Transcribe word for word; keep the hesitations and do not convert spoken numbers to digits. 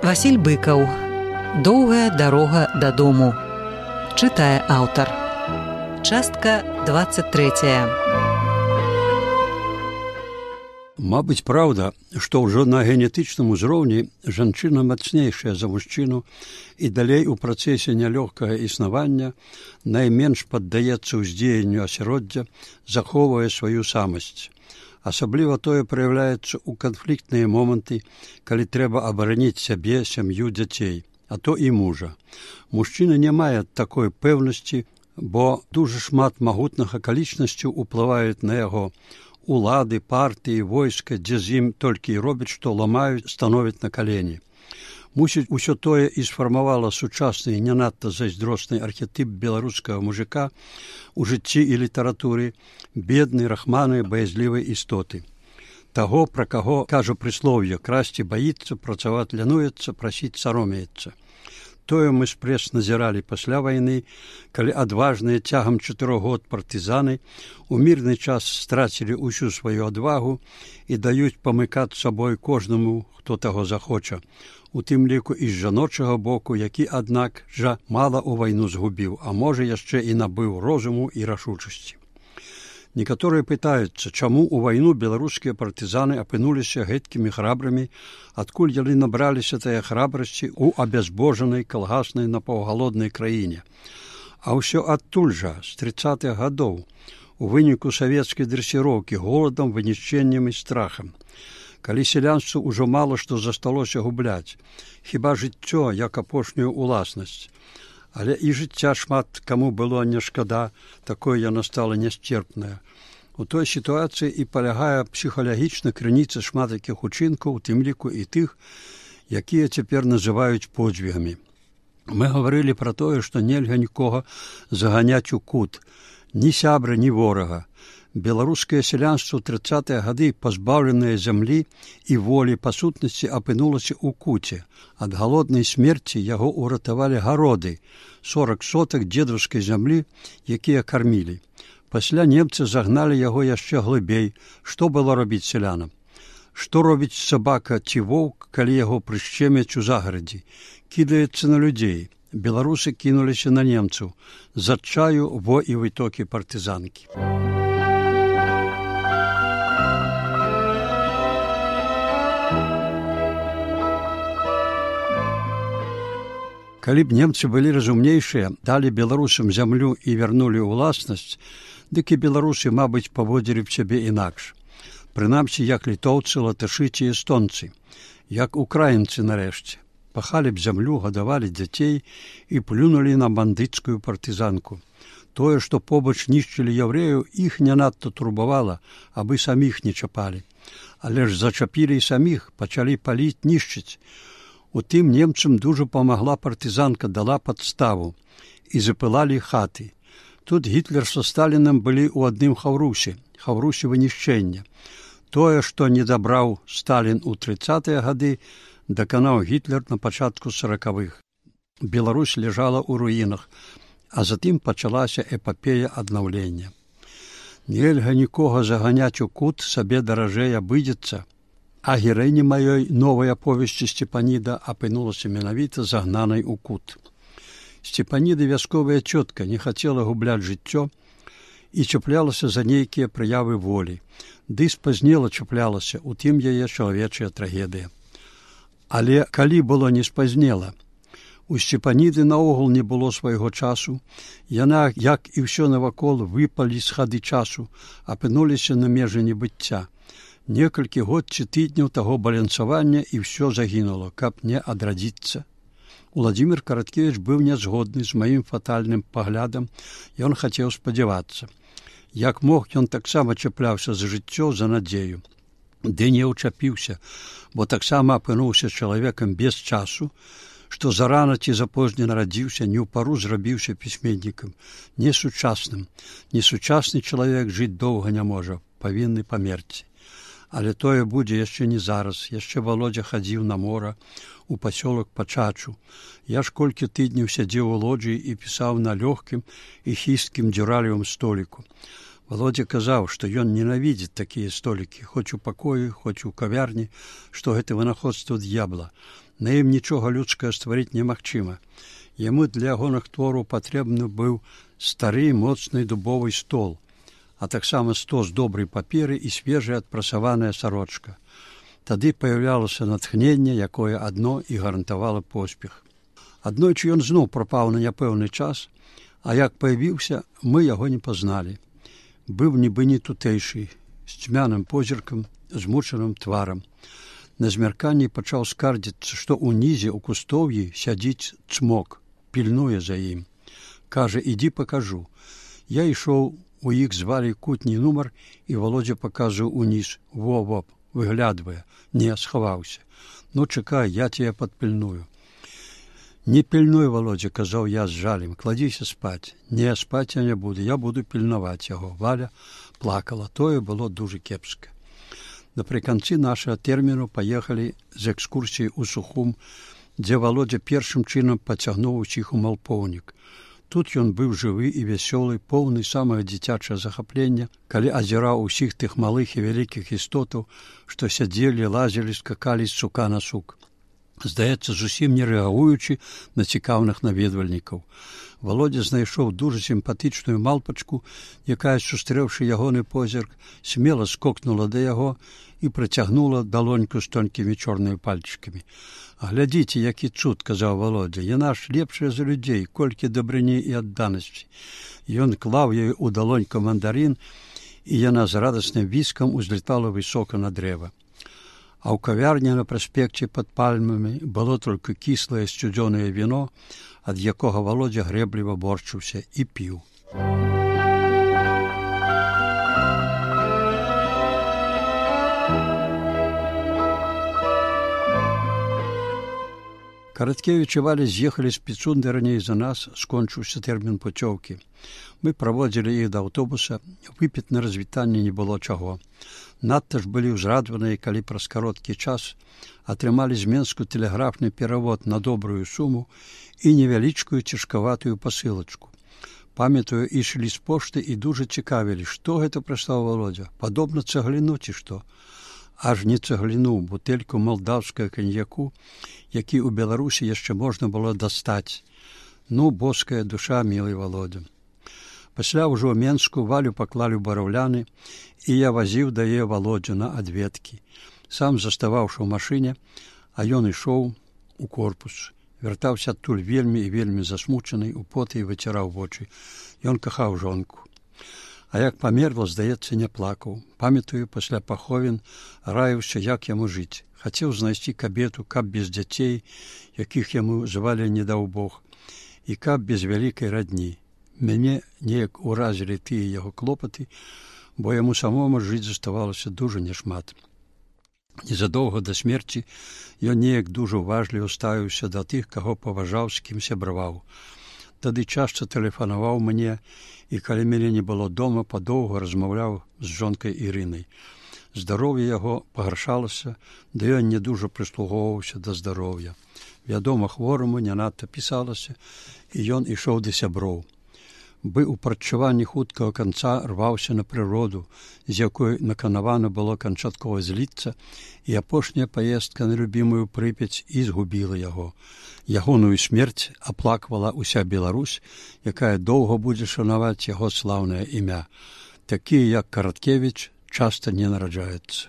Васіль Быкаў. Доўгая дарога дадому. Чытае аўтар. Частка двадцать третья. Мабыць, праўда, што ўжо на генетычным узроўні жанчына мацнейшая за мужчыну і далей у працэсе нялёгкага існавання найменш паддаецца ўздзеянню асяроддзя, захоўвае сваю самасць. Асабліва тое праяўляецца ў канфліктныя моманты, калі трэба абараніць сябе, сям'ю, дзяцей, а то і мужа. Мужчына не мае такой пэўнасці, бо дужа шмат магутных акалічнасцяў уплываюць на яго. Улады, партыі, войска, дзе з ім толькі і робяць, што ламаюць, становяць на калені. Мусіць, усё тое і сфармавала сучасны і не надта зайздросны архетып беларускага мужика у жыцці і літаратуры, беднай, рахманай, баязлівай істоты. Таго, пра каго кажа прыслоўе: красці баіцца, працаваць лянуецца, прасіць саромеецца. Тое мы спрэс назіралі пасля вайны, калі адважныя цягам чатырох год партызаны у мірны час страцілі ўсю сваю адвагу і даюць памыкаць сабой кожнаму, хто таго захоча, у тым ліку і з жаночага боку, які, аднак, жа мала ў вайну згубіў, а можа яшчэ і набыў розуму і рашучасці. Некаторыя пытаюцца, чаму ў вайну беларускія партызаны апынуліся гэткімі храбрымі, адкуль яны набраліся тая храбрасці ў абязбожанай калгаснай напаўгалоднай краіне. А ўсё адтуль жа, з трыццатых гадоў, у выніку савецкай дрэсіроўкі, голадам, вынішчэннем і страхам. Калі сялянству ўжо мала што засталося губляць, хіба жыццё як апошнюю уласнасць. Але і жыцця шмат каму было не шкада, такое яно стала нясцерпнае. У той сітуацыі і палягае псіхалагічна крыніца шмат якіх учынкаў, у тым ліку і тых, якія цяпер называюць подзвігамі. Мы гаварылі пра тое, што нельга нікога заганяць у кут, ні сябра, ні ворага. Беларускае сялянство ў трыццатыя гады, пазбаўленае зямлі і волі, па сутнасці апынулася ў куце. Ад галоднай смерці яго ўратавалі гароды, сорак сотак дзедаўскай зямлі, якія кармілі. Пасля немцы загналі яго яшчэ глыбей. Што было робіць сялянам? Што робіць сабака ці воўк, калі яго прышчемяць у загарадзі? Кідаецца на людзей. Беларусы кінуліся на немцаў. З адчаю во і вытокі партызанкі. Калі б немцы былі разумнейшыя, далі беларусам зямлю і вярнулі ўласнасць, дык і беларусы, мабыць, паводзілі б сябе інакш. Прынамсі, як літоўцы, латышы ці эстонцы, як украінцы нарэшце. Пахалі б зямлю, гадавалі дзяцей і плюнулі на бандыцкую партызанку. Тое, што побач нішчылі яўрэяў, іх не надта турбавала, абы саміх не чапалі. Але ж зачапілі і саміх, пачалі паліць, нішчыць. У тым немцам дужа памагла партызанка, дала падставу, і запылалі хаты. Тут Гітлер са Сталінам былі ў адным хаўрусе, хаўрусе вынішчэння. Тое, што не дабраў Сталін у трыццатыя гады, даканаў Гітлер на пачатку саракавых. Беларусь ляжала ў руінах, а затым пачалася эпапея аднаўлення. Нельга нікога заганяць у кут, сабе даражэй абыдзецца. А гераіня маёй новай аповесці Сцепаніда апынулася менавіта загнанай у кут. Сцепаніда, вясковая цётка, не хацела губляць жыццё і чаплялася за нейкія праявы волі. Ды спазнела чаплялася, у тым яе чалавечая трагедыя. Але калі было не спазнела, у Сцепаніды наогул не было свайго часу, яна, як і ўсё навакол, выпалі з хады часу, апынуліся на межы небыцця. Некалькі год ці тыдняў таго балянсавання і ўсё загінула, каб не адрадзіцца. Уладзімір Караткевіч быў нязгодны з маім фатальным паглядам, ён хацеў спадзявацца. Як мог, ён таксама чапляўся за жыццё, за надзею. Ды не ўчапіўся, бо таксама апынуўся чалавекам без часу, што зарана ці запозне нарадзіўся, не ў пару зрабіўся пісьменнікам, несучасным. Несучасны чалавек жыць доўга не можа, павінны памерці. Але тое будзе яшчэ не зараз. Яшчэ Володя хадзіў на мора, у пасёлак Пачачу. Я ж колькі тыдняў сядзеў у лоджыі і пісаў на лёгкім і хісткім дзюралевым століку. Володя казаў, што ён ненавідзіць такія столікі, хоць у пакоі, хоць у кавярні, што гэта вынаходства д'ябла. На ім нічога людскае стварыць немагчыма. Яму для ягоных твораў патрэбны быў стары моцны дубовы стол, а таксама стос добрай паперы і свежая адпрасаваная сарочка. Тады паяўлялася натхненне, якое адно і гарантавала поспех. Аднойчы ён зноў прапаў на няпэўны час, а як паявіўся, мы яго не пазналі. Быў нібы не тутэйшы, з цьмяным позіркам, змучаным тварам. На змярканні пачаў скардзіцца, што ўнізе ў кустоўі сядзіць цмок, пільнуе за ім. Кажа, ідзі пакажу. Я ішоў, у іх звалі кутні нумар, і Володя паказваў уніз. Во-во, выглядвае. Не, схаваўся. Ну, чакай, я тебе падпільную. Не пільнуй, Володя, казаў я з жалем, кладзіся спаць. Не, спаць я не буду, я буду пільнаваць яго. Валя плакала, тое было дужа кепска. Напрыканцы нашага тэрміну паехалі з экскурсіяй у Сухум, дзе Володя першым чынам пацягнуў усіх у малпоўнік. Тут ён быў жывы і вясёлы, поўны самага дзіцячага захаплення, калі азіраў усіх тых малых і вялікіх істотаў, што сядзелі, лазілі, скакалі з сука на сук. Здаецца, зусім не рэагуючы на цікаўных наведвальнікаў. Володя знайшоў дужа сімпатычную малпачку, якая, сустрэўшы ягоны позірк, смела скокнула да яго і працягнула далоньку з тонкімі чорнымі пальчыкамі. «Глядзіце, які цуд», – казаў Володя, – «яна ж лепшая за людзей, колькі дабрыні і адданасці». Ён клаў ёй у далоньку мандарин, і яна з радасным віскам узлетала высока на дрэва. А ў кавярні на праспекце пад пальмамі было толькі кіслае сцюдзёнае віно, ад якога Володя грэбліва борчыўся і піў. Караткевіч і Валя з'ехалі з Піцунды раней за нас, скончыўся тэрмін пуцёўкі. Мы праводзілі іх да аўтобуса, выпіць на развітанне не было чаго. Надта ж былі ўзрадваныя, калі праз кароткі час атрымалі з Менску тэлеграфны перавод на добрую суму і невялічкую цяжкаватую пасылачку. Памятаю, ішлі з пошты і дужа цікавілі, што гэта прыслаў Володя, падобна цагліну ці што. Аж не цагліну, бутэльку малдаўскага каньяку, які ў Беларусі яшчэ можна было дастаць. Ну, боская душа, мілый Володя. Пасля ўжо ў Менску Валю паклалі ў бараўляны, і я вазіў да яе Володю на адведкі. Сам заставаўшы ў машыне, а ён ішоў у корпус. Вяртаўся адтуль вельмі і вельмі засмучаны, у поты і выціраў вочы. Ён кахаў жонку. А як памерла, здаецца, не плакаў. Памятаю, пасля паховін раіўся, як яму жыць. Хацеў знайсці кабету, каб без дзяцей, якіх яму звалі не даў Бог, і каб без вялікай радні. Мяне неяк уразілі тыя яго клопаты, бо яму самому жыць заставалася дужа няшмат. Незадоўга да смерці ён неяк дужа уважліва ставіўся да тых, каго паважаў, з кім сябраваў. Тады часта тэлефанаваў мне, і калі мяне не было дома, падоўга размаўляў з жонкай Ірынай. Здароўе яго пагаршалася, да ён не дужа прыслугоўваўся да здароўя. Вядома, хвораму не надта пісалася, і ён ішоў да сяброў. Бы ў прадчуванні хуткага канца рваўся на прыроду, з якой наканавана было канчаткова зліцца, і апошняя паездка на любімую Прыпяць і згубіла яго. Ягоную смерць аплаквала ўся Беларусь, якая доўга будзе шанаваць яго слаўнае імя. Такія, як Караткевіч, часта не нараджаюцца.